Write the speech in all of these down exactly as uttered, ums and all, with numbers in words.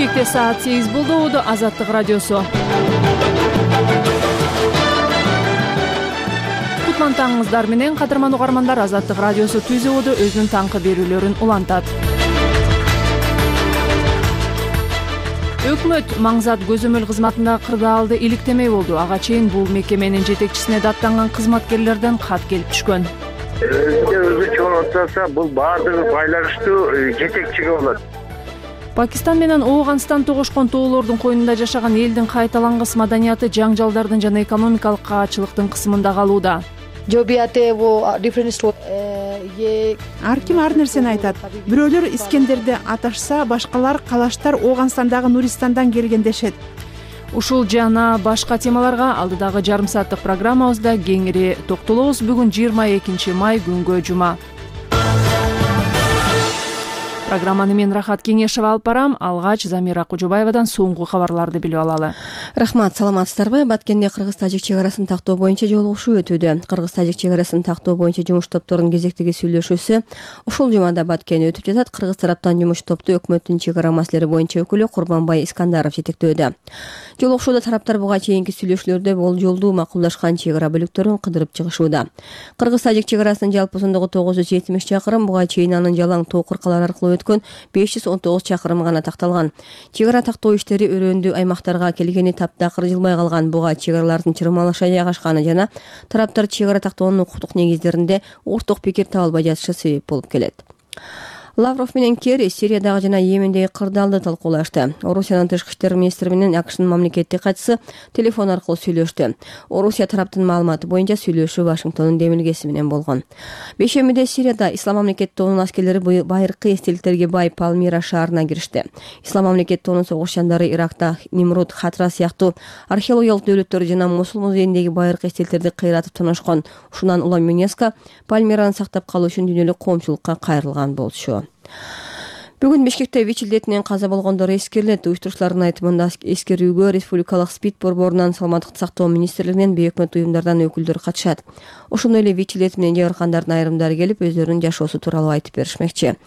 Бишкекте саат сегиз болду. Убуду Азаттык радиосу. Кутман таңыңыздар менен кадырман угармандар, Азаттык радиосу түз убуду өзүнүн таңкы берүүлөрүн улантат. Өкмөт Маңзат көзөмөл кызматындагы кырдаалды иликтемей болду. Ага чейин бул мекеменин жетекчисине даттанган кызматкерлерден кат келип түшкөн. Өзү өзү чоң отурса, бул баардыгы байланыштуу жетекчиге болот. Пакистан менен Ооганстан тогошкон тоолордун койнунда жашаган элдин кайталангыс маданияты жаңжалдардын жана экономикалык каачылыктын кысымында калууда. Ар ким ар нерсени айтат. Бирөөлөр Искендерди аташса, башкалар калаштар Ооганстандагы Нуристандан келген дешет. Ушул жана башка темаларга алдыдагы жарым сааттык программабызда кеңири токтолобуз. Бүгүн жыйырма экинчи май, күнгө жума. Программаны мен Рахат Кеңешева алып барам. Алгач Замира Кужубаевадан соңку кабарларды билип алалы. Рахмат, саламатсыздарбы? Баткенде Кыргыз-Тажик чек-арасын тактоо боюнча жолугушуу өтүүдө. Кыргыз-Тажик чек-арасын тактоо боюнча жумуш топторунун кезектеги сүйлөшүүсү ушул жумада Баткенде өтүп жатат. Кыргыз тараптан жумуш топту өкмөттүн чек-ара маселелери боюнча өкүлү Курманбай Искандаров жетектөөдө. Жолугушууда тараптар буга чейинки сүйлөшүүлөрдө болжолдуу макулдашкан чек-ара бөлүктөрүн кыдырып чыгышууда. Кыргыз-Тажик чек-арасынын жалпы узундугу тогуз жүз жетимиш чакырым, буга чейин анын жалаң тоо кыркалар аркылуу өткөн беш жүз он тогуз чакырым гана такталган. Чек-ара тактоо иштери өрөөндүү аймактарга келгени таптакыр жылбай калган. Буга чек-аралардын чырмалыша жайгашканы жана тараптар чек-ара тактоонун укуктук негиздеринде орток пикир таба албай жатышы себеп болуп келет. Лавров менен Керри Сириядагы жана Йемендеги кырдаалды талкуулашты. Орусиянын тышкы иштер министри менен АКШнын мамлекеттик катчысы телефон аркылуу сүйлөштү. Орусия тараптын маалыматы боюнча сүйлөшүү Вашингтондун демилгеси менен болгон. Бейшембиде Сирияда Ислам мамлекет тобунун аскерлери байыркы эстеликтерге бай Палмира шаарына киришти. Ислам мамлекет тобунун согушчандары Иракта Нимрут, Хатра сыяктуу археологиялык дөөлөттөр жана Мосул музейиндеги байыркы эстеликтерди кыйратып тоношкон. Ушундан улам ЮНЕСКО Пальмираны сактап калуу үчүн дүйнөлүк коомчулукка кайрылган болчу. Бүгүн Бишкекте ВИЧ илдетинен каза болгондор эскерилет. Уюштуруучулардын айтымында эскерүүгө республикалык СПИД борборунан, Саламаттыкты сактоо министрлигинен, бейөкмөт уюмдардан өкүлдөр катышат. Ошондой эле ВИЧ илдети менен жабыркандардын айрымдары келип, өздөрүнүн жашоосу тууралуу айтып беришмекчи.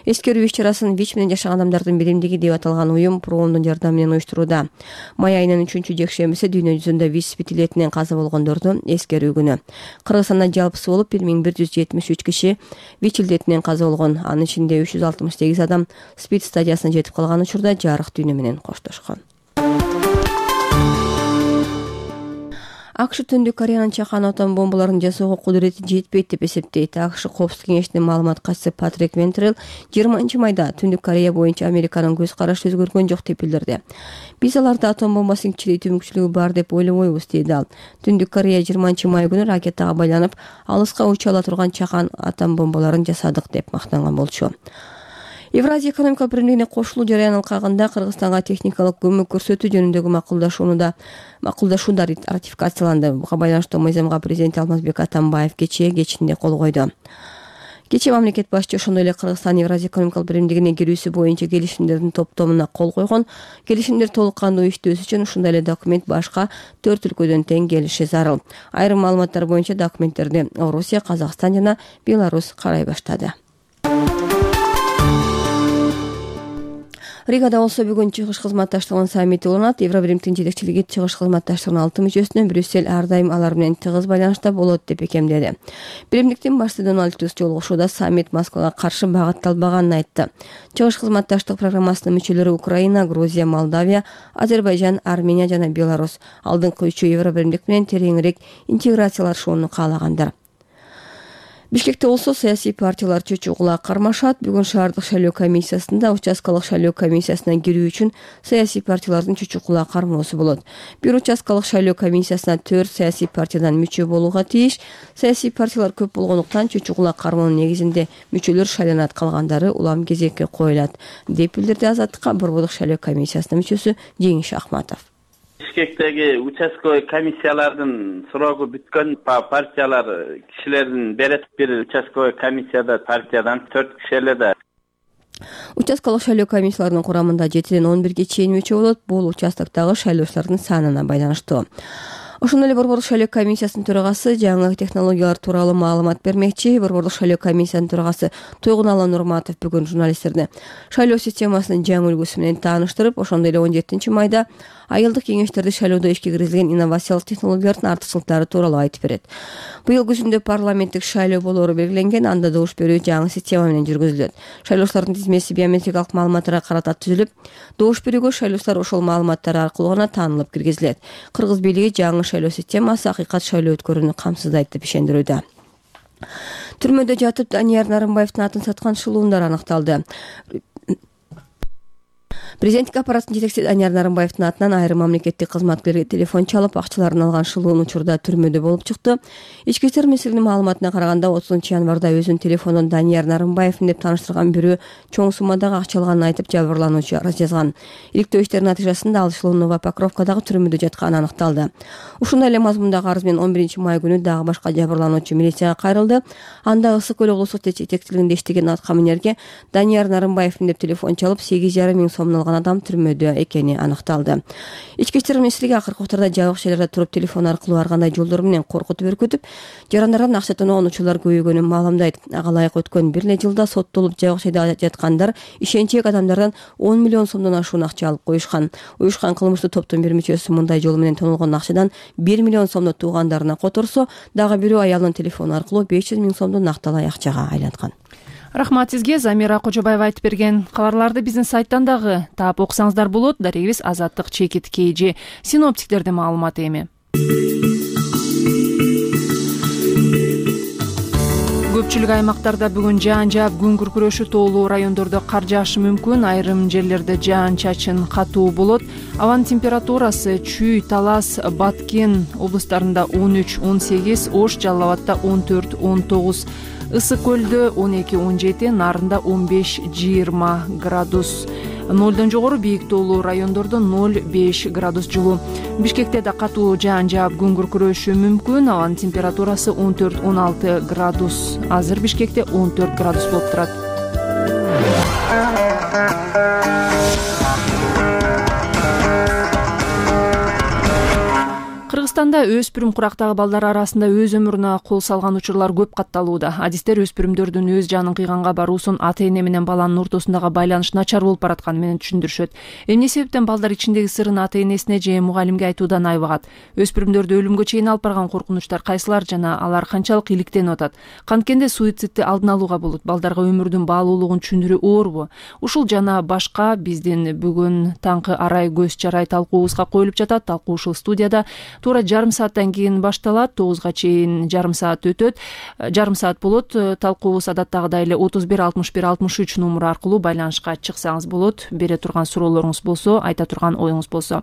Эскерүү иш-чарасын ВИЧ менен жашаган адамдардын биримдиги деп аталган уюм Промдун жардамы менен уюштурууда. Май айынын үчүнчү жекшембиси дүйнө жүзүндө ВИЧ СПИД илдетинен каза болгондорду эскерүү күнү. Кыргызстанда жалпысы болуп бир миң бир жүз жетимиш үч киши ВИЧ илдетинен каза болгон. Анын ичинде үч жүз алтымыш сегиз адам СПИД стадиясына жетип калган учурда жарык дүйнө менен коштошкон. АКШ Түндүк Кореянын чакан атом бомбаларын жасоого кудурети жетпейт деп эсептейт. АКШ Коопсуздук кеңешинин маалымат катчысы Патрик Вентрел жыйырманчы майда Түндүк Корея боюнча Американын көз карашы өзгөргөн жок деп билдирди. Биз аларда атом бомбасын кичирейтүү мүмкүнчүлүгү бар деп ойлобойбуз, дейт ал. Түндүк Корея жыйырманчы май күнү ракетага байланып алыска уча ала турган чакан атом бомбаларын жасадык деп мактанган болчу. Евразия экономикалык биримдигине кошулуу жарыян алкагында Кыргызстанга техникалык көмөк көрсөтүү жөнүндөгү макулдашууну макулдашуу да ратификацияланды. Буга байланыштуу мыйзамга президент Алмазбек Атамбаев кечээ кечинде кол койду. Кечээ мамлекет башчы ошондой эле Кыргызстан Евразия экономикалык биримдигине кирүүсү боюнча келишимдердин топтомуна кол койгон. Келишимдер толук кандуу иштөөсү үчүн ушундай эле документ башка төрт өлкөдөн тең келиши зарыл. Айрым маалыматтар боюнча документтерди Орусия, Казакстан жана Беларусь карай баштады. Ригада болсо бүгүн чыгыш кызматташтыгынын саммити уланат. Евробиримдин жетекчилиги чыгыш кызматташтыгынын алты мүчөсүнөн Брюссель ар дайым алар менен тыгыз байланышта болот деп бекемдеди. Биримдиктин башчысы Дональд Туск жолугушууда саммит Москвага каршы багытталбаганын айтты. Чыгыш кызматташтык программасынын мүчөлөрү Украина, Грузия, Молдавия, Азербайжан, Армения жана Беларусь алдыңкы үчөө Евробиримдик менен тереңирээк интеграциялашууну каалагандар. Бишкекте болсо саясий партиялар чөчүгула кармашат. Бүгүн шаардык шайлоо комиссиясында участкалык шайлоо комиссиясына кирүү үчүн саясий партиялардын чөчүгула кармоосу болот. Бир участкалык шайлоо комиссиясына төрт саясий партиядан мүчө болууга тийиш. Саясий партиялар көп болгондуктан чөчүгула кармоонун негизинде мүчөлөр шайланат, калгандары улам кезекке коюлат, деп билдирди Азаттыкка Борбордук шайлоо комиссиясынын мүчөсү Жеңиш Ахматов. Бишкектеги участковый комиссиялардын срогу бүткөн партиялар кишилердин берет. Бир участковый комиссияда партиядан төрт киши эле да. Участкалык шайлоо комиссияларынын курамында жетиден он бирге чейин мүчө болот. Бул участоктогу шайлоочулардын санына байланыштуу. Ошондой эле Борбордук шайлоо комиссиясынын төрагасы жаңы технологиялар тууралуу маалымат бермекчи. Борбордук шайлоо комиссиясынын төрагасы Тойгунаалы Нурматов бүгүн журналисттерди шайлоо системасынын жаңы үлгүсү менен тааныштырып, ошондой эле он жетинчи майда айылдык кеңештерде шайлоодо ишке киргизилген инновациялык технологиялардын артыкчылыктары тууралуу айтып берет. Быйыл күзүндө парламенттик шайлоо болоору белгиленген, анда добуш берүү жаңы система менен жүргүзүлөт. Шайлоочулардын тизмеси биометрикалык маалыматтарга карата түзүлүп, добуш берүүгө шайлоочулар ошол маалыматтар аркылуу гана таанылып киргизилет. Кыргыз бийлиги жаңы шайлоо системасы акыйкат шайлоо өткөрүүнү камсыздайт деп ишендирүүдө. Түрмөдө жатып Данияр Нарымбаевдин атын саткан шылуундар аныкталды. Президенттик аппараттын жетекчиси Данияр Нарымбаевдин атынан айрым мамлекеттик кызматкерлерге телефон чалып, акчаларын алган шылуун учурда түрмөдө болуп чыкты. Ички иштер министрлигинин маалыматына караганда, отузунчу январда өзүнүн телефонун Данияр Нарымбаевдин деп тааныштырган бирөө чоң суммадагы акча алганын айтып, жабырлануучу арыз жазган. Иликтөө иштеринин натыйжасында ал шылуун Новопокровкадагы түрмөдө жатканы аныкталды. Ушундай эле мазмундагы арыз менен он биринчи май күнү дагы башка жабырлануучу милицияга кайрылды. Анда Ысык көл облустук жетекчилигинде иштеген аткаминерге Данияр Нарымбаевдин деп телефон чалып, сегиз жарым миң сомдон алган адам түрмөдө экени аныкталды. Ички иштер министрлиги акыркы учурда жабык жерлерде туруп телефон аркылуу ар кандай жолдор менен коркутуп өркөтүп, жарандардан акча тоноогон учурлар көбөйгөнүн маалымдайт. Ага ылайык өткөн бир эле жылда соттолуп жабык жайда жаткандар ишенчек адамдардан он миллион сомдон ашуун акча алып коюшкан. Уюшкан кылмыштуу топтун бир мүчөсү мындай жол менен тонолгон акчадан бир миллион сомду туугандарына которсо, дагы бирөө аялынын телефону аркылуу беш жүз миң сомду накталай акчага айланткан. Рахмат сизге, Замира Кожобаева айтып берген. Кабарларды биздин сайттан дагы таап окусаңыздар болот. Дарегибиз Азаттык Чекит Кейжи. Синоптиктердин маалыматы эми. Көпчүлүк аймактарда бүгүн жаан жаап, күн күркүрөшү, тоолуу райондордо кар жаашы мүмкүн. Айрым жерлерде жаан-чачын катуу болот. Абанын температурасы Чүй, Талас, Баткен облустарында он үч он сегиз, Ош, Жалал Абадта он төрт он тогуз, Ысык көлдө он эки он жети, Нарында он беш жыйырма градус. Нолдон жогору бийик тоолуу райондордо ноль беш градус жылуу. Бишкекте да катуу жаан жаап, күн күркүрөшү мүмкүн. Абанын температурасы он төрт он алты градус. Азыр Бишкекте он төрт градус болуп турат. Кыргызстанда өспүрүм курактагы балдар арасында өз өмүрүнө кол салган учурлар көп катталууда. Адистер өспүрүмдөрдүн өз жанын кыйганга баруусун ата-эне менен баланын ортосундагы байланыш начар болуп баратканы менен түшүндүрүшөт. Эмне себептен балдар ичиндеги сырын ата-энесине же мугалимге айтуудан айбагат? Өспүрүмдөрдү өлүмгө чейин алып барган коркунучтар кайсылар жана алар канчалык иликтенип атат? Канткенде суицидти алдын алууга болот? Балдарга өмүрдүн баалуулугун түшүндүрүү оорбу? Ушул жана башка биздин бүгүн таңкы арай көз чарай талкуубузга коюлуп жатат. Талкуу ушул студияда туура жарым сааттан кийин башталат. тогузга чейин жарым саат өтөт. Жарым саат болот. Талкуубуз адаттагыдай эле отуз бир алтымыш бир алтымыш үч номуру аркылуу байланышка чыксаңыз болот. Бере турган суроолоруңуз болсо, айта турган оюңуз болсо.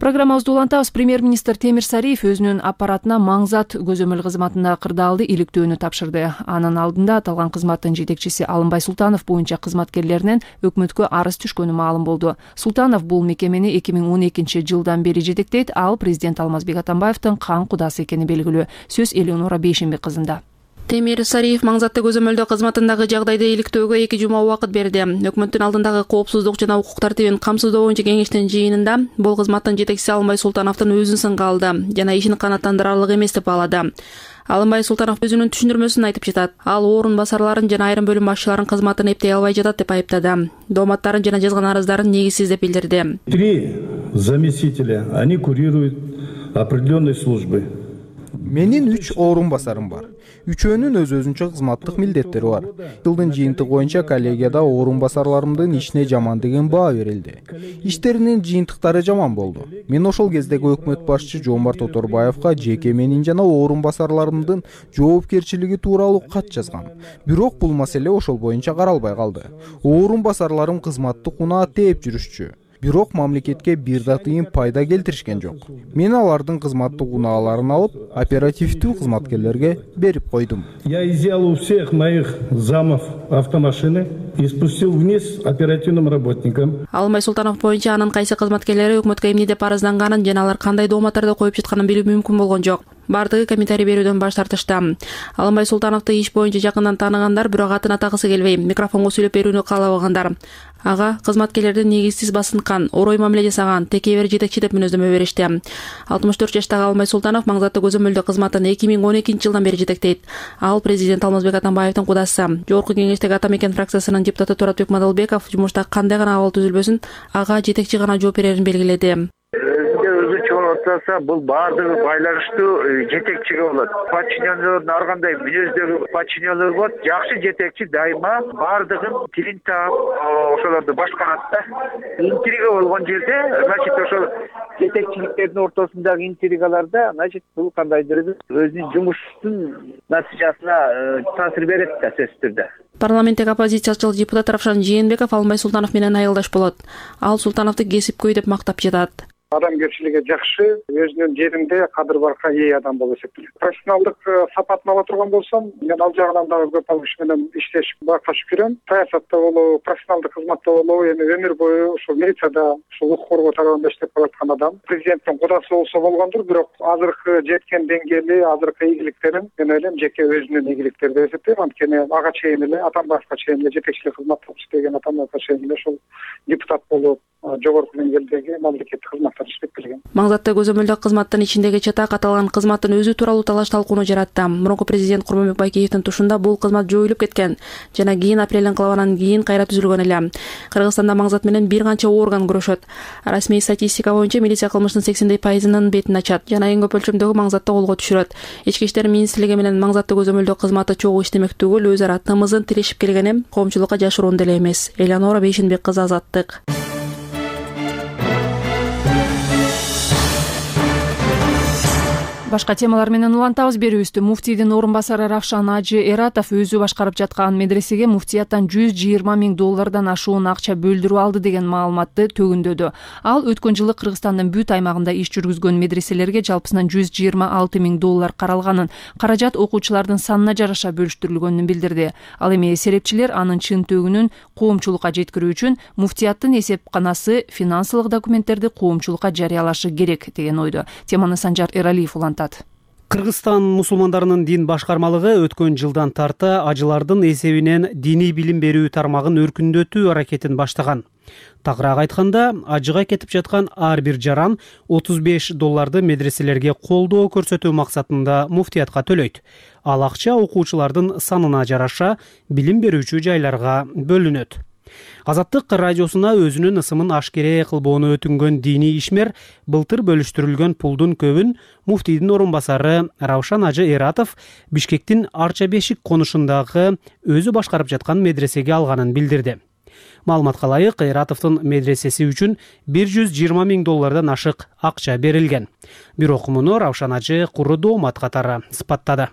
Программабызды улантабыз. Премьер-министр Темир Сариев өзүнүн аппаратына Маңзат көзөмөл кызматында кырдаалды иликтөөнү тапшырды. Анын алдында аталган кызматтын жетекчиси Алымбай Султанов боюнча кызматкерлеринен өкмөткө арыз түшкөнү маалым болду. Султанов бул мекемени эки миң он экинчи жылдан бери жетектейт. Ал президент Алмазбек Атамбаевдин кан кудасы экени белгилүү. Сөз Элеонора Бейшенбек кызында. Темир Сариев Маңзатты көзөмөлдөө кызматындагы жагдайды иликтөөгө эки жума убакыт берди. Өкмөттүн алдындагы коопсуздук жана укук тартибин камсыздоо боюнча кеңештин жыйынында бул кызматтын жетекчиси Алымбай Султановдун өзүн сынга алды жана ишин канааттандырарлык эмес деп баалады. Алымбай Султанов өзүнүн түшүндүрмөсүн айтып жатат. Ал орун басарларын жана айрым бөлүм башчыларынын кызматын эптей албай жатат деп айыптады. Дооматтарын жана жазган арыздарын негизсиз деп билдирди. Три заместителя, они курируют определенные службы. Менин үч орун басарым бар. Үчөөнүн өз өзүнчө кызматтык милдеттери бар. Жылдын жыйынтыгы боюнча коллегияда орун басарларымдын ишине жаман деген баа берилди. Иштеринин жыйынтыктары жаман болду. Мен ошол кездеги өкмөт башчы Жомарт Оторбаевга жеке менин жана орун басарларымдын жоопкерчилиги тууралуу кат жазгам. Бирок бул маселе ошол боюнча каралбай калды. Орун басарларым кызматтык унаа тээп жүрүшчү. Бирок мамлекетке бир да тыйын пайда келтиришкен жок. Мен алардын кызматтык унааларын алып, оперативдүү кызматкерлерге берип койдум. Я изъял у всех моих замов автомашины и спустил вниз оперативным работникам. Алымбай Султанов боюнча анын кайсы кызматкерлери өкмөткө эмне деп арызданганын жана алар кандай дооматтарды коюп жатканын билүү мүмкүн болгон жок. Бардыгы комментарий берүүдөн баш тартышты. Алымбай Султановду иш боюнча жакындан тааныгандар бирок атын атагысы келбей, микрофонго сүйлөп берүүнү каалабагандар. Ага кызматкерлерди негизсиз басынткан, орой мамиле жасаган, текебер жетекчи деп мүнөздөмө беришти. алтымыш төрт жаштагы Алмай Султанов Маңзатты көзөмөлдөө кызматын эки миң он экинчи жылдан бери жетектейт. Ал президент Алмазбек Атамбаевдин кудасы. Жогорку кеңештеги Ата Мекен фракциясынын депутаты Туратбек Мадалбеков жумушта кандай гана абал түзүлбөсүн, ага жетекчи гана жооп берерин белгиледи. Отсаса бул баардыгы байланыштуу жетекчиге болот. Подчиненлердин ар кандай мүнөздөгү подчиненлер болот. Жакшы жетекчи дайыма баардыгын тилин таап ошолорду башкарат да. Интрига болгон жерде, значит, ошол жетекчиликтердин ортосундагы интригаларда, значит, бул кандайдыр өзүнүн жумуштун натыйжасына таасир берет да, сөзсүз түрдө. Парламенттеги оппозициячыл депутат Равшан Жээнбеков Алмай Султанов менен айылдаш болот. Ал Султановду кесипкөй деп мактап жатат. Адамгерчилиги жакшы, өзүнүн жеринде кадыр барка ээ адам болуп эсептелет. Профессионалдык сапатын ала турган болсом, мен ал жагынан дагы көп ал киши менен иштешип бакташып жүрөм. Саясатта болобу, профессионалдык кызматта болобу, эми өмүр бою ушул милицияда, ушул укук коргоо тарабында иштеп келаткан адам. Президенттин кудасы болсо болгондур, бирок азыркы жеткен деңгээли, азыркы ийгиликтерин мен ойлойм жеке өзүнүн ийгиликтери деп эсептейм. Анткени ага чейин эле Атамбаевка чейин эле жетекчилик кызматты иштеген, Атамбаевка чейин эле ушул депутат болуп, жогорку деңгээлдеги мамлекеттик кызматтар иштеп келген. Маңзатты көзөмөлдөө кызматтын ичиндеги чатак аталган кызматтын өзү тууралуу талаш талкууну жаратты. Мурунку президент Курманбек Байкеевдин тушунда бул кызмат жоюлуп кеткен жана кийин апрель инкылабынан кийин кайра түзүлгөн эле. Кыргызстанда Маңзат менен бир канча орган күрөшөт. Расмий статистика боюнча милиция кылмыштын сексендей пайызынын бетин ачат жана эң көп өлчөмдөгү Маңзатты колго түшүрөт. Ички иштер министрлиги менен Маңзатты көзөмөлдөө кызматы чогуу иштемек түгүл, өз ара тымызын тирешип келгени коомчулукка жашыруун деле эмес. Элеонора Бейшенбек кызы, Азаттык. Башка темалар менен улантабыз. Берүүбүздү муфтийдин орун басары Равшан Ажы Эратов өзү башкарып жаткан медресеге муфтияттан жүз жыйырма миң доллардан ашуун акча бөлдүрүп алды деген маалыматты төгүндөдү. Ал өткөн жылы Кыргызстандын бүт аймагында иш жүргүзгөн медреселерге жалпысынан жүз жыйырма алты миң доллар каралганын, каражат окуучулардын санына жараша бөлүштүрүлгөнүн билдирди. Ал эми серепчилер анын чын төгүнүн коомчулукка жеткирүү үчүн муфтияттын эсепканасы финансылык документтерди коомчулукка жарыялашы керек деген ойдо. Теманы Санжар Эралиев улантат. Кыргызстан мусулмандарынын дин башкармалыгы өткөн жылдан тарта ажылардын эсебинен диний билим берүү тармагын өркүндөтүү аракетин баштаган. Тагыраак айтканда, ажыга кетип жаткан ар бир жаран отуз беш долларды медреселерге колдоо көрсөтүү максатында муфтиятка төлөйт. Ал акча окуучулардын санына жараша билим берүүчү жайларга бөлүнөт. Азаттык радиосуна өзүнүн ысымын ашкере кылбоону өтүнгөн диний ишмер былтыр бөлүштүрүлгөн пулдун көбүн муфтийдин орун басары Равшан Ажы Эратов Бишкектин Арча Бешик конушундагы өзү башкарып жаткан медресеге алганын билдирди. Маалыматка ылайык, Эратовдун медресеси үчүн бир жүз жыйырма миң доллардан ашык акча берилген. Бирок муну Равшан Ажы куру доомат катары сыпаттады.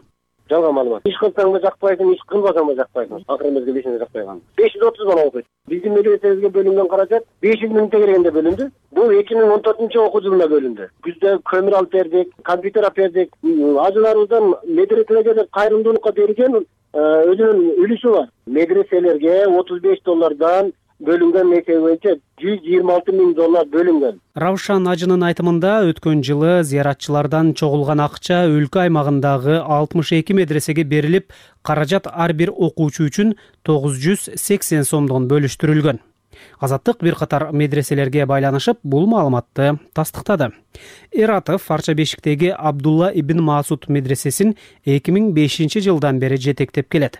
Жалган маалымат. Иш кылсаң да жакпайсың, иш кылбасаң да жакпайсың. Акыры мезгилде ишине жакпайган. беш жүз отуз бала окуйт. Биздин медресебизге бөлүнгөн каражат беш жүз миңге келгенде бөлүндү. Бул эки миң он төртүнчү окуу жылында бөлүндү. Күздө көмүр алып бердик, компьютер алып бердик. Ажыларыбыздан медреселерге кайрымдуулукка берген өзүнүн үлүшү бар. Медреселерге отуз беш доллардан бөлүнгөн несие боюнча жүз жыйырма алты миң доллар бөлүнгөн. Равшан Ажынын айтымында өткөн жылы зыяратчылардан чогулган акча өлкө аймагындагы алтымыш эки медресеге берилип, каражат ар бир окуучу үчүн тогуз жүз сексен сомдон бөлүштүрүлгөн. Азаттык бир катар медреселерге байланышып бул маалыматты тастыктады. Эратов Арча Бешиктеги Абдулла ибн Масуд медресесин эки миң бешинчи жылдан бери жетектеп келет.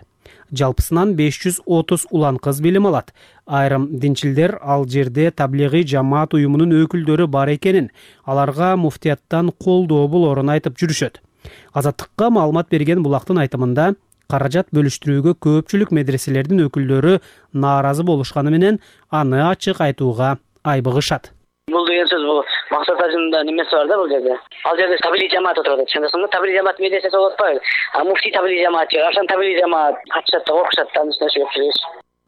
Жалпысынан беш жүз отуз улан кыз билим алат. Айрым динчилдер ал жерде таблигый жамаат уюмунун өкүлдөрү бар экенин, аларга муфтияттан колдоо болорун айтып жүрүшөт. Азаттыкка маалымат берген булактын айтымында, каражат бөлүштүрүүгө көпчүлүк медреселердин өкүлдөрү нааразы болушканы менен аны ачык айтууга айбыгышат. Бул деген сөз бул максат ажында немеси бар да бул жерде. Ал жерде табилий жамаат отурат. Чындыгында табилий жамаат медресеси болуп атпайбы? А муфтий табилий жамаат, Равшан табилий жамаат катышат да окушат да мисалы.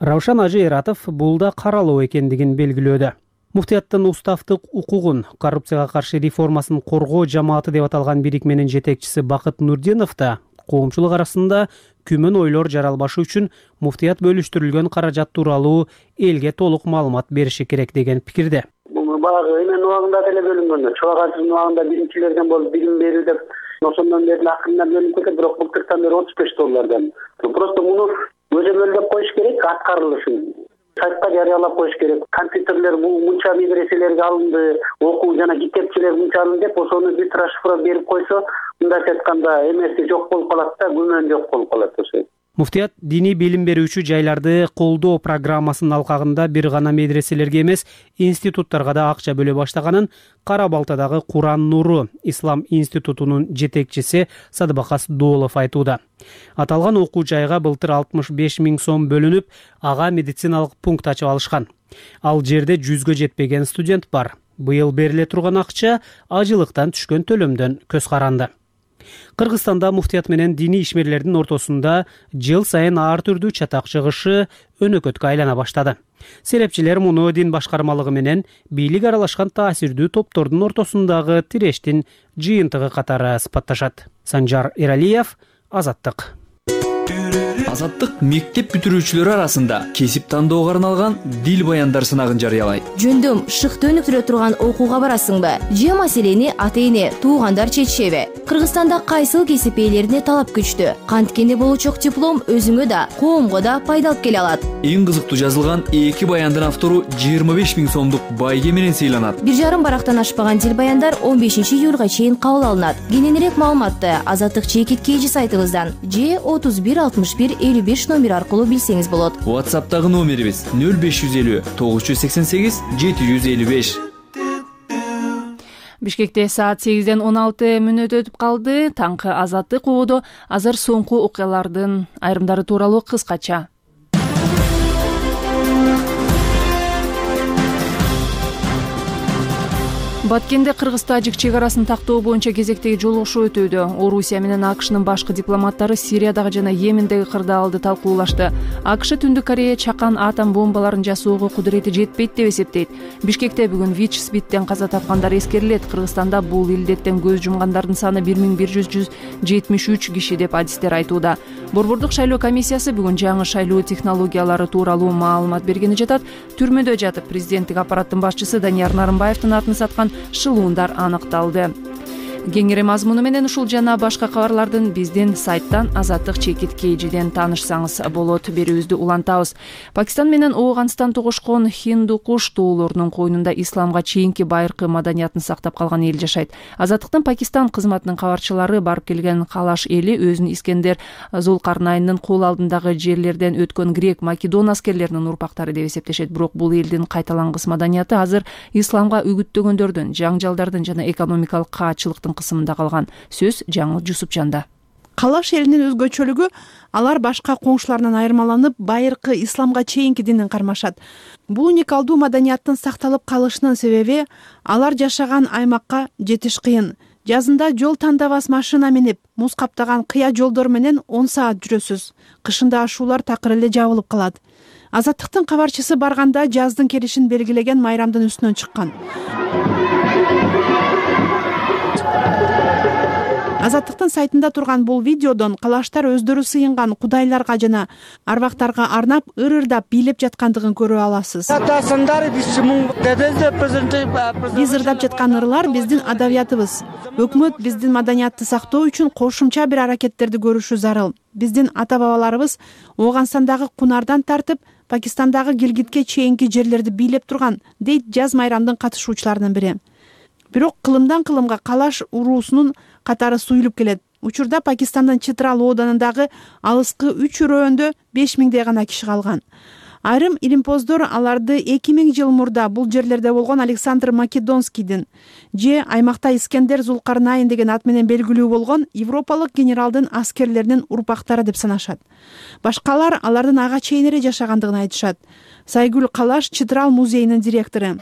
Равшан Ажы Эратов бул да каралуу экендигин белгилөөдө. Муфтияттын уставдык укугун, коррупцияга каршы реформасын коргоо жамааты деп аталган бирикменин жетекчиси Бакыт Нурдинов да коомчулук арасында күмөн ойлор жаралбашы үчүн муфтият бөлүштүрүлгөн каражат тууралуу элге толук маалымат бериши керек деген пикирде. Баягы эмен убагында деле бөлүнгөн. Чолагачынын убагында биринчилерден болуп билим берүү деп ошондон бери акырында бөлүнүп кетет, бирок былтыртан бери отуз беш доллардан. Просто муну көзөмөлдөп коюш керек аткарылышын. сайтка жарыялап коюш керек. Компьютерлер мынча медреселерге алынды, окуу жана китепчилер мынча алынды деп ошону бир расшифровка берип койсо, мындайча айтканда эмеси жок болуп калат да, күмөн жок болуп калат ошо. Муфтият диний билим берүүчү жайларды колдоо программасынын алкагында бир гана медреселерге эмес, институттарга да акча бөлө баштаганын Кара Балтадагы Куран Нуру Ислам институтунун жетекчиси Садыбакас Доолов айтууда. Аталган окуу жайга былтыр алтымыш беш миң сом бөлүнүп, ага медициналык пункт ачып алышкан. Ал жерде жүзгө жетпеген студент бар. Быйыл бериле турган акча ажылыктан түшкөн төлөмдөн көз каранды. Кыргызстанда муфтият менен диний ишмерлердин ортосунда жыл сайын ар түрдүү чатак чыгышы өнөкөткө айлана баштады. Серепчилер муну дин башкармалыгы менен бийлик аралашкан таасирдүү топтордун ортосундагы тирештин жыйынтыгы катары сыпатташат. Санжар Эралиев, Азаттык. Азаттык мектеп бүтүрүүчүлөрү арасында кесип тандоого арналган дил баяндар сынагын жарыялайт. Жөндөм шыкты өнүктүрө турган окууга барасыңбы? Же маселени ата-эне, туугандар чечишеби? Кыргызстанда кайсыл кесип ээлерине талап күчтүү? Канткенде болучок диплом өзүңө да, коомго да пайда алып келе алат. Эң кызыктуу жазылган эки баяндын автору жыйырма беш миң сомдук байге менен сыйланат. Бир жарым барактан ашпаган дил баяндар он бешинчи июлга чейин кабыл алынат. Кененирээк маалыматты Азаттык чекит кейжи сайтыбыздан же отуз бир алтымыш бир элүү беш номер аркылуу билсеңиз болот. WhatsApp'тагы номерибиз нөл беш жүз элүү тогуз жүз сексен сегиз жети жүз элүү беш. Бишкекте саат сегизден он алты мүнөт өтүп калды. Таңкы Азаттык угууда азыр соңку окуялардын айрымдары тууралуу кыскача. Баткенде Кыргыз-Тажик чек арасын тактоо боюнча кезектеги жолугушуу өтүүдө. Орусия менен АКШнын башкы дипломаттары Сириядагы жана Йемендеги кырдаалды талкуулашты. АКШ Түндүк Корея чакан атом бомбаларын жасоого кудурети жетпейт деп эсептейт. Бишкекте бүгүн ВИЧ-СПИДтен каза тапкандар эскерилет. Кыргызстанда бул илдеттен көз жумгандардын саны бир миң бир жүз жетимиш үч киши деп адистер айтууда. Борбордук шайлоо комиссиясы бүгүн жаңы шайлоо технологиялары тууралуу маалымат бергени жатат. Түрмөдө жатып президенттик аппараттын башчысы Данияр Нарымбаевдин атын саткан шылуундар аныкталды. Кеңири мазмуну менен ушул жана башка кабарлардын биздин сайттан Азаттык чекит кейжиден таанышсаңыз болот. Берүүбүздү улантабыз. Пакистан менен Ооганстан тогушкон Хиндукуш тоолорунун койнунда исламга чейинки байыркы маданиятын сактап калган эл жашайт. Азаттыктын Пакистан кызматынын кабарчылары барып келген Калаш эли өзүн Искендер Зулкарнайнын кол алдындагы жерлерден өткөн грек Македон аскерлеринин урпактары деп эсептешет. Бирок бул элдин кайталангыс маданияты азыр исламга үгүттөгөндөрдүн, жаңжалдардын жана экономикалык каачылыктын кысымында калган. Сөз Жаңыл Жусупжанда. Калаш элинин өзгөчөлүгү алар башка коңшуларынан айырмаланып, байыркы исламга чейинки динин кармашат. Бул уникалдуу маданияттын сакталып калышынын себеби алар жашаган аймакка жетиш кыйын. Жазында жол тандабас машина минип, муз каптаган кыя жолдор менен он саат жүрөсүз. Кышында ашуулар такыр эле жабылып калат. Азаттыктын кабарчысы барганда жаздын келишин белгилеген майрамдын үстүнөн чыккан. Азаттыктын сайтында турган бул видеодон калаштар өздөрү сыйынган кудайларга жана арбактарга арнап ыр-ырдап бийлеп жаткандыгын көрө аласыз. Биз ырдап жаткан ырлар биздин адабиятыбыз. Өкмөт биздин маданиятты сактоо үчүн кошумча бир аракеттерди көрүшү зарыл. Биздин ата-бабаларыбыз Ооганстандагы Кунардан тартып, Пакистандагы Гилгитке чейинки жерлерди бийлеп турган, дейт жаз майрамдын катышуучуларынын бири. Бирок кылымдан кылымга Калаш уруусунун катары суюлуп келет. Учурда Пакистандын Читрал ооданындагы алыскы үч өрөөндө беш миңдей гана киши калган. Айрым илимпоздор аларды эки миң жыл мурда бул жерлерде болгон Александр Македонскийдин же аймакта Искендер Зулкарнайын деген ат менен белгилүү болгон европалык генералдын аскерлеринин урпактары деп санашат. Башкалар алардын ага чейин эле жашагандыгын айтышат. Сайгүл Калаш Читрал музейинин директору.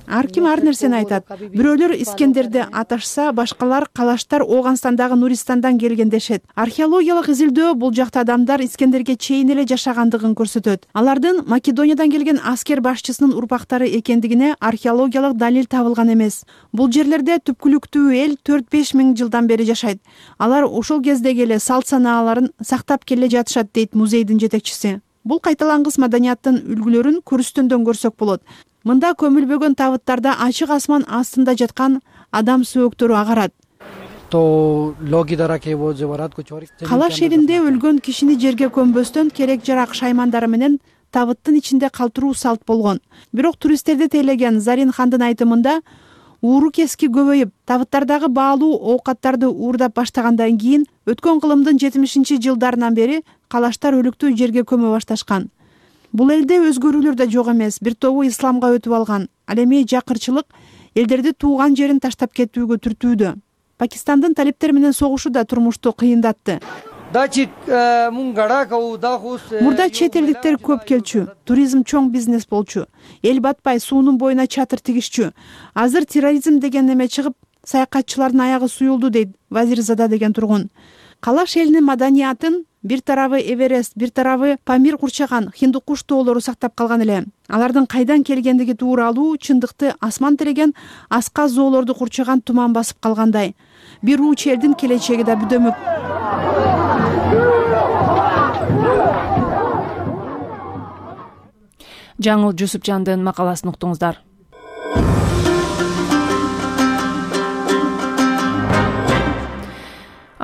Ар ким ар нерсени айтат. Бирөөлөр Искендерди аташса, башкалар Калаштар Ооганстандагы Нуристандан келген дешет. Археологиялык изилдөө бул жакта адамдар Искендерге чейин эле жашагандыгын көрсөтөт. Алардын Македониядан келген аскер башчысынын урпактары экендигине археологиялык далил табылган эмес. Бул жерлерде түпкүлүктүү эл төрт беш миң жылдан бери жашайт. Алар ошол кездеги эле салт санааларын сактап келе жатышат, дейт музейдин жетекчиси. Бул кайталангыс маданияттын үлгүлөрүн көрүстөндөн көрсөк болот. Мында көмүлбөгөн табыттарда ачык асман астында жаткан адам сөөктөрү агарат. калаш элинде өлгөн кишини жерге көмбөстөн керек жарак шаймандары менен табыттын ичинде калтыруу салт болгон. Бирок туристтерди тейлеген Зарин хандын айтымында ууру кески көбөйүп, табыттардагы баалуу оокаттарды уурдап баштагандан кийин өткөн кылымдын жетимишинчи жылдарынан бери калаштар өлүктү жерге көмө башташкан. Бул элде өзгөрүүлөр да жок эмес, бир тобу исламга өтүп алган. Ал эми жакырчылык элдерди тууган жерин таштап кетүүгө түртүүдө. Пакистандын талиптер менен согушу да турмушту кыйындатты. Мурда чет элдиктер көп келчү, туризм чоң бизнес болчу. Эл батпай суунун боюна чатыр тигишчү. Азыр терроризм деген неме чыгып, саякатчылардын аягы суюлду, дейт Вазирзада деген тургун. Калаш элинин маданиятын бир тарабы Эверест, бир тарабы Памир курчаган хинду куш тоолору сактап калган эле. Алардын кайдан келгендиги тууралуу чындыкты асман тиреген аска зоолорду курчаган туман басып калгандай. Бир уч элдин келечеги да бүдөмүк. Жаңыл Жусупжандын макаласын уктуңуздар.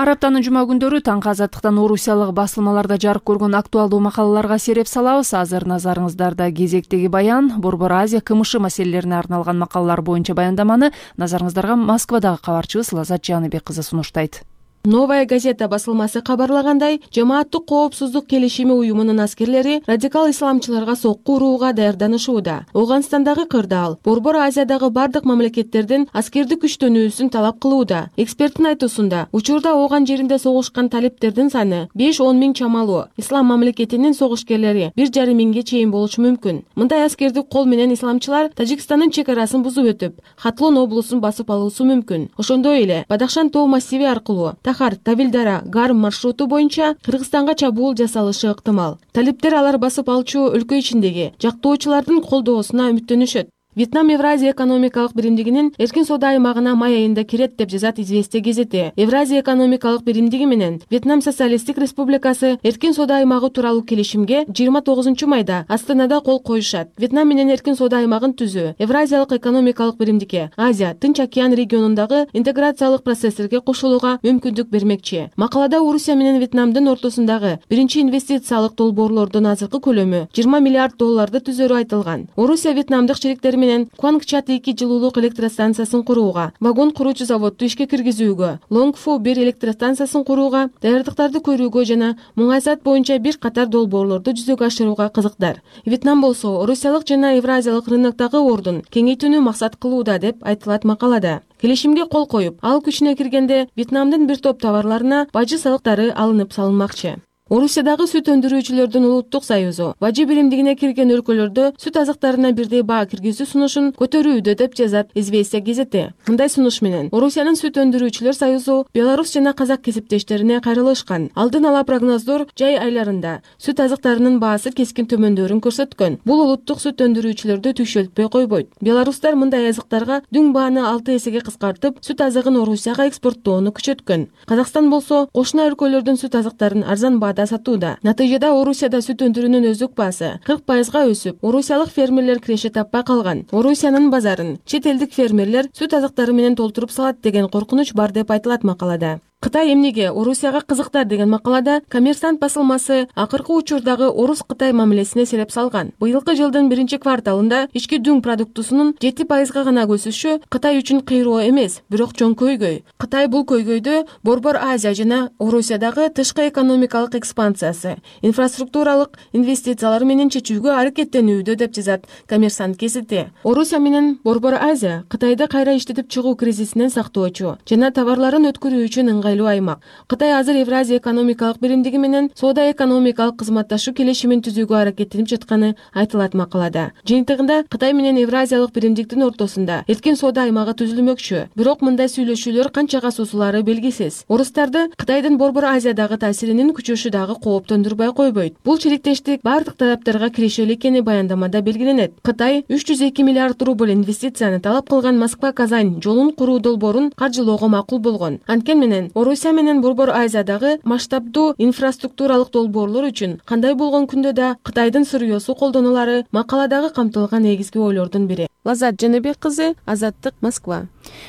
Ар аптанын жума күндөрү таңкы азаттыктан орусиялык басылмаларда жарык көргөн актуалдуу макалаларга сереп салабыз. Азыр назарыңыздарда кезектеги баян Борбор Азия КМШ маселелерине арналган макалалар боюнча баяндаманы назарыңыздарга Москвадагы кабарчыбыз Лазат Жаныбек кызы сунуштайт. Новая газета басылмасы кабарлагандай, жамааттык коопсуздук келишими уюмунун аскерлери радикал исламчыларга сокку урууга даярданышууда. Ооганстандагы кырдаал Борбор Азиядагы бардык мамлекеттердин аскерди күчтөнүүсүн талап кылууда. Эксперттин айтуусунда, учурда ооган жеринде согушкан талиптердин саны беш-он миң чамалуу. Ислам мамлекетинин согушкерлери бир жарым миңге чейин болушу мүмкүн. Мындай аскердик кол менен исламчылар Тажикстандын чек арасын бузуп өтүп, Хатлон облусун басып алуусу мүмкүн. Ошондой эле Бадахшан тоо массиви аркылуу Тахар, Тавилдара, Гарм маршруту боюнча Кыргызстанга чабуул жасалышы ыктымал. Талиптер алар басып алчу өлкө ичиндеги жактоочулардын колдоосуна үмүттөнүшөт. Вьетнам Евразия экономикалык биримдигинин эркин соода аймагына май айында кирет деп жазат Известия газети. Евразия экономикалык биримдиги менен Вьетнам Социалисттик Республикасы эркин соода аймагы тууралуу келишимге жыйырма тогузунчу майда Астанада кол коюшат. Вьетнам менен эркин соода аймагын түзүү Евразиялык экономикалык биримдикке Азия, Тынч океан регионундагы интеграциялык процесстерге кошулууга мүмкүндүк бермекчи. Макалада Орусия менен Вьетнамдын ортосундагы биринчи инвестициялык долбоорлордун азыркы көлөмү жыйырма миллиард долларды түзөрү айтылган. Орусия вьетнамдык шериктери менен Куангчат эки жылуулук электростанциясын курууга, вагон куручу заводду ишке киргизүүгө, Лонгфу бир электростанциясын курууга, даярдыктарды көрүүгө жана муңайсат боюнча бир катар долбоорлорду жүзөгө ашырууга кызыктар. Вьетнам болсо Орусиялык жана Евразиялык рыноктогу ордун кеңейтүүнү максат кылууда деп айтылат макалада. Келишимге кол коюп, ал күчүнө киргенде Вьетнамдын бир топ товарларына бажы салыктары алынып салынмакчы. Орусиядагы сүт өндүрүүчүлөрдүн улуттук союзу бажы биримдигине кирген өлкөлөрдө сүт азыктарына бирдей баа киргизүү сунушун көтөрүүдө деп жазат Известия газети. Мындай сунуш менен Орусиянын сүт өндүрүүчүлөр союзу Беларусь жана казак кесиптештерине кайрылышкан. Алдын ала прогноздор жай айларында сүт азыктарынын баасы кескин төмөндөрүн көрсөткөн. Бул улуттук сүт өндүрүүчүлөрдү түйшөлтпөй койбойт. Беларустар мындай азыктарга дүң бааны алты эсеге кыскартып, сүт азыгын Орусияга экспорттоону күчөткөн. Казакстан болсо кошуна өлкөлөрдүн сүт азыктарын арзан баада сатууда. Натыйжада Орусияда сүт өндүрүүнүн өздүк баасы кырк пайызга өсүп, орусиялык фермерлер киреше таппай калган. Орусиянын базарын чет элдик фермерлер сүт азыктары менен толтуруп салат деген коркунуч бар деп айтылат макалада. Кытай эмнеге Орусияга кызыктар деген макалада Коммерсант басылмасы акыркы учурдагы Орус-Кытай мамилесине сереп салган. Быйылкы жылдын биринчи кварталында ички дүң продуктусунун жети пайызга гана өсүшү Кытай үчүн кыйроо эмес, бирок чоң көйгөй. Кытай бул көйгөйдү Борбор Азия жана Орусиядагы тышкы экономикалык экспансиясы, инфраструктуралык инвестициялар менен чечүүгө аракеттенүүдө деп жазат Коммерсант газети. Орусия менен Борбор Азия Кытайды кайра иштетип чыгуу кризисинен сактоочу жана товарларын өткөрүү үчүн аймак. Кытай азыр Евразия экономикалык биримдиги менен соода экономикалык кызматташуу келишимин түзүүгө аракеттенип жатканы айтылат макалада. Жыйынтыгында Кытай менен Евразиялык биримдиктин ортосунда эркин соода аймагы түзүлмөкчү. Бирок мындай сүйлөшүүлөр канчага созулаары белгисиз. Орустарды Кытайдын Борбор Азиядагы таасиринин күчөшү дагы кооптондурбай койбойт. Бул чириктештик бардык тараптарга кирешелүү экени баяндамада белгиленет. Кытай үч жүз эки миллиард рубль инвестицияны талап кылган Москва-Казань жолун куруу долбоорун каржылоого макул болгон. Анткени менен Орусия менен Борбор Азиядагы масштабдуу инфраструктуралык долбоорлор үчүн кандай болгон күндө да Кытайдын Сүрөсү колдонулары макаладагы камтылган негизги ойлордун бири. Лазат Жаныбек кызы, Азаттык, Москва.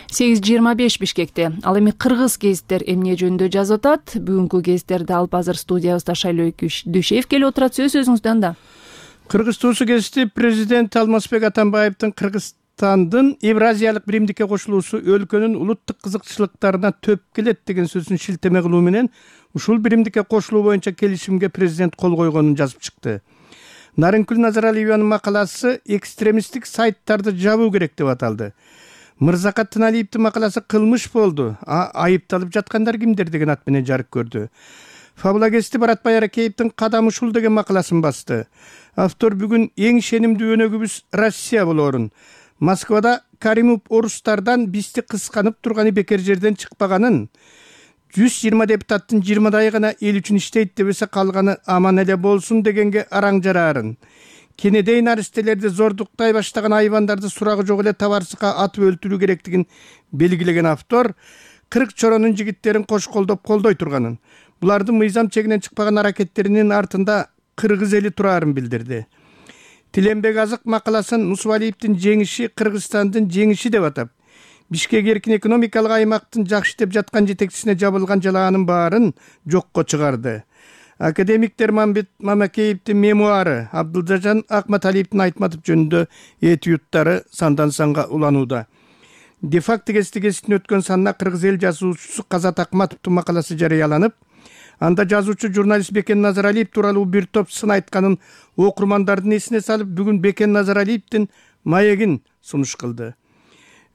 сегиз жыйырма беш Бишкекте. Ал эми кыргыз гезиттер эмне жөнүндө жазып атат? Бүгүнкү гезиттерди алып азыр студиябызда Шайлоо Дүйшеев келип отурат. Сөз өзүңүздө анда. Кыргыз туусу гезити президент Алмазбек Атамбаевдин Кыргызстандын Евразиялык биримдикке кошулуусу өлкөнүн улуттук кызыкчылыктарына төп келет деген сөзүн шилтеме кылуу менен ушул биримдикке кошулуу боюнча келишимге президент кол койгонун жазып чыкты. Нарынкүл Назаралиеванын макаласы экстремисттик сайттарды жабуу керек деп аталды. Мырзакат Тыналиевдин макаласы кылмыш болду, а айыпталып жаткандар кимдер деген ат менен жарык көрдү. Фабула гезити Баратбай Аракеевдин Кадам ушул деген макаласын басты. Автор бүгүн эң ишенимдүү өнөгүбүз Россия болорун, Москвада Каримов орустардан бизди кысканып турганы бекер жерден чыкпаганын, жүз жыйырма депутаттын жыйырмадайы гана эл үчүн иштейт дебесе калганы аман эле болсун дегенге араң жараарын, кенедей наристелерди зордуктай баштаган айбандарды сурагы жок эле табарсыкка атып өлтүрүү керектигин белгилеген автор кырк чоронун жигиттерин кош колдоп колдой турганын, булардын мыйзам чегинен чыкпаган аракеттеринин артында кыргыз эли турарын билдирди. Тиленбек Азык макаласын Мусубалиевдин жеңиши Кыргызстандын жеңиши деп атап, Бишкек эркин экономикалык аймактын жакшы деп жаткан жетекчисине жабылган жалаанын баарын жокко чыгарды. Академик Терманбет Мамакеевдин мемуары, Абдылжан Акматалиевдин Айтматов жөнүндө этюдтары сандан санга уланууда. Дефакт гезитин өткөн санына кыргыз эл жазуучусу Казат Акматовдун макаласы жарыяланып, анда жазуучу журналист Бекен Назаралиев тууралуу бир топ сын айтканын окурмандардын эсине салып, бүгүн Бекен Назаралиевдин маегин сунуш кылды.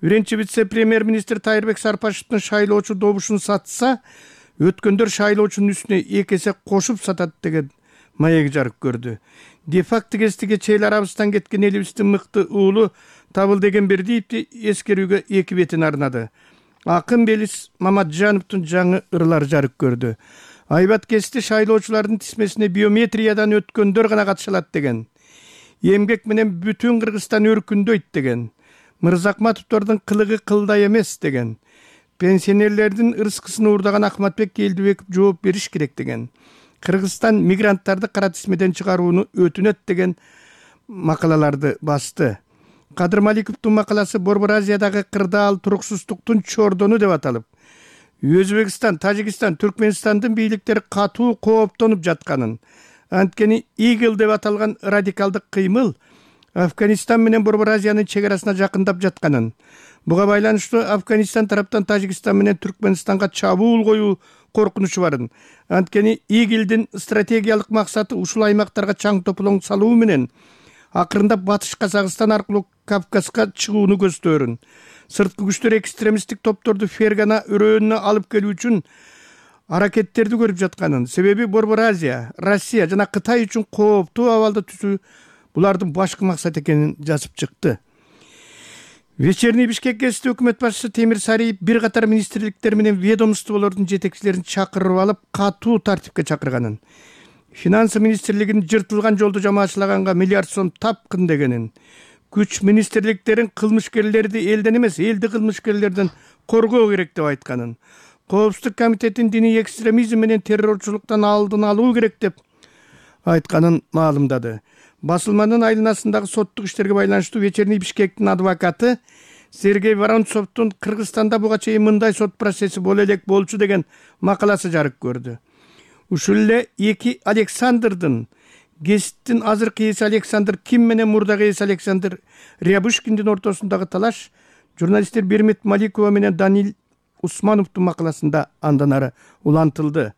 Биринчи вице-премьер-министр Тайырбек Сарпашевдин шайлоочу добушун сатса, өткөндөр шайлоочунун үстүнө эки эсе кошуп сатат деген маек жарык көрдү. Дефакт гезитиге чейил арабыздан кеткен элибиздин мыкты уулу Табыл деген Бердиевди эскерүүгө эки бетин арнады. Акын Белис Маматжановдун жаңы ырлар жарык көрдү. Айбат гезити шайлоочулардын тизмесине биометриядан өткөндөр гана катыша алат деген. Эмгек менен бүтүн Кыргызстан өркүндөйт деген. Мырзакматовдордун кылыгы кылдай эмес деген. Пенсионерлердин ырыскысын уурдаган Ахматбек Келдибеков жооп бериш керек деген. Кыргызстан мигранттарды кара тизмеден чыгарууну өтүнөт деген макалаларды басты. Кадыр Маликовдун макаласы Борбор Азиядагы кырдаал туруксуздуктун чордону деп аталып, Өзбекстан, Тажикстан, Түркменстандын бийликтери катуу кооптонуп жатканын, анткени Игл деп аталган радикалдык кыймыл Афганистан менен Борбор Азиянын чек арасына жакындап жатканын, буга байланыштуу Афганистан тараптан Тажикстан менен Түркменистанга чабуул коюу коркунучу барын, анткени Иглдин стратегиялык максаты ушул аймактарга чаң тополоң салуу менен акырындап Батыш Казакстан аркылуу Кавказга чыгууну көздөрүн. Сырткы күчтөр экстремисттик топторду Фергана өрөөнүнө алып келүү үчүн аракеттерди көрүп жатканын, себеби Борбор Азия, Россия жана Кытай үчүн кооптуу абалда түзүү булардын башкы максат экенин жазып чыкты. Вечерний Бишкек гезити өкмөт башчысы Темир Сариев бир катар министрликтер менен ведомстволордун жетекчилерин чакырып алып, катуу тартипке чакырганын, Финансы министрлигинин жыртылган жолду жамаачылаганга миллиард сом тапкын дегенин, күч министрликтерин кылмышкерлерди элден эмес, элди кылмышкерлерден коргоо керек деп айтканын, Коопсуздук комитетин диний экстремизм менен террорчулуктан алдын алуу керек деп айтканын маалымдады. Басылманын айланасындагы соттук иштерге байланыштуу Вечерний Бишкектин адвокаты Сергей Воронцовдун Кыргызстанда буга чейин мындай сот процесси боло элек болчу деген макаласы жарык көрдү. Ушул эле эки Александрдын, гезиттин азыркы ээси Александр Ким менен мурдагы ээси Александр Рябушкиндин ортосундагы талаш журналисттер Бермет Маликова менен Данил Усмановдун макаласында андан ары улантылды.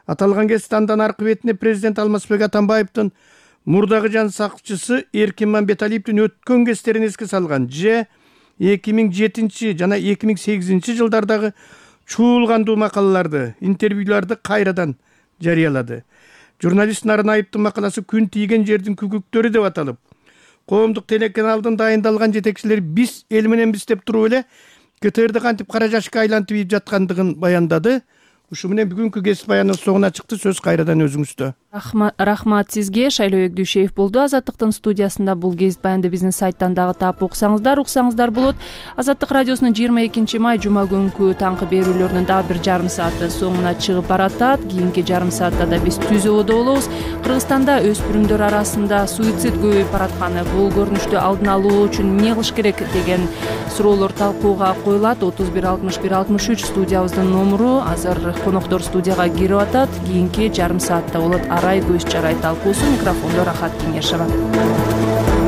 Аталган гезит андан аркы бетине президент Алмазбек Атамбаевдин мурдагы жан сакчысы Эркин Мамбеталиевдин өткөн гезиттерин эске салган же эки миң жетинчи жана эки миң сегизинчи жылдардагы чуулгандуу макалаларды, интервьюларды кайрадан жарыялады. Журналист Нарынаевдин макаласы күн тийген жердин күгүктөрү деп аталып, коомдук телеканалдын дайындалган жетекчилери биз эл менен биз деп туруп эле КТРди кантип кара жашка айлантып ийип жаткандыгын баяндады. Ушу менен бүгүнкү гезит баяныбыз соңуна чыкты. Сөз кайрадан өзүңүздө. Рахмат сизге. Шайлообек Дүйшеев болду Азаттыктын студиясында. Бул кесип баянды биздин сайттан дагы таап окусаңыздар, уксаңыздар болот. Азаттык радиосунун жыйырма экинчи май жума күнкү таңкы берүүлөрүнүн дагы бир жарым сааты соңуна чыгып баратат. Кийинки жарым саатта да биз Түз Ободо болобуз. Кыргызстанда өспүрүмдөр арасында суицид көбөйүп баратканы, бул көрүнүштү алдын алуу үчүн эмне кылыш керек деген суроолор талкууга коюлат. отуз бир алтымыш бир алтымыш үч студиябыздын номуру. Азыр коноктор студияга кирип атат. Кийинки жарым саатта болот арай көз чарай талкуусу. Микрофондо Рахат Кеңешова.